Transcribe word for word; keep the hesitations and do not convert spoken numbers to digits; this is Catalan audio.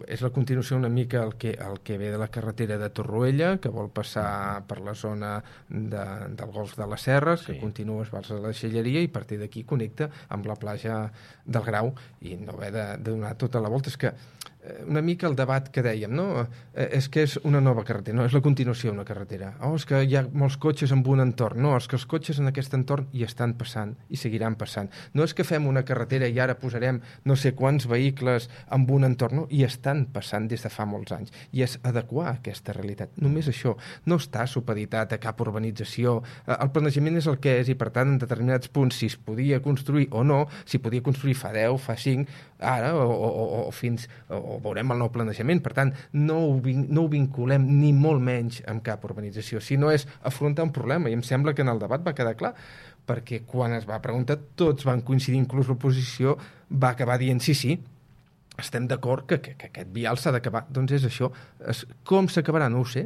és la continuació una mica el que, el que ve de la carretera de Torroella, que vol passar per la zona de, del Golf de les Serres, sí. que continua, es va a la Deixalleria i a partir d'aquí connecta amb la platja del Grau i no haver de, de donar tota la volta. És que una mica el debat que dèiem, no? És que és una nova carretera, no, és la continuació d'una carretera. Oh, és que hi ha molts cotxes en un entorn. No, és que els cotxes en aquest entorn hi estan passant i seguiran passant. No és que fem una carretera i ara posarem no sé quants vehicles en un entorn, no, i estan passant des de fa molts anys. I és adequar aquesta realitat. Només això. No està supeditat a cap urbanització. El planejament és el que és i, per tant, en determinats punts, si es podia construir o no, si podia construir fa deu, fa cinc, ara o, o, o fins... O, veurem el nou planejament, per tant no ho, vin, no ho vinculem ni molt menys amb cap urbanització, sinó és afrontar un problema, i em sembla que en el debat va quedar clar, perquè quan es va preguntar tots van coincidir, inclús l'oposició va acabar dient sí, sí, estem d'acord que, que, que aquest vial s'ha d'acabar. Doncs és això. Es, com s'acabarà? No ho sé.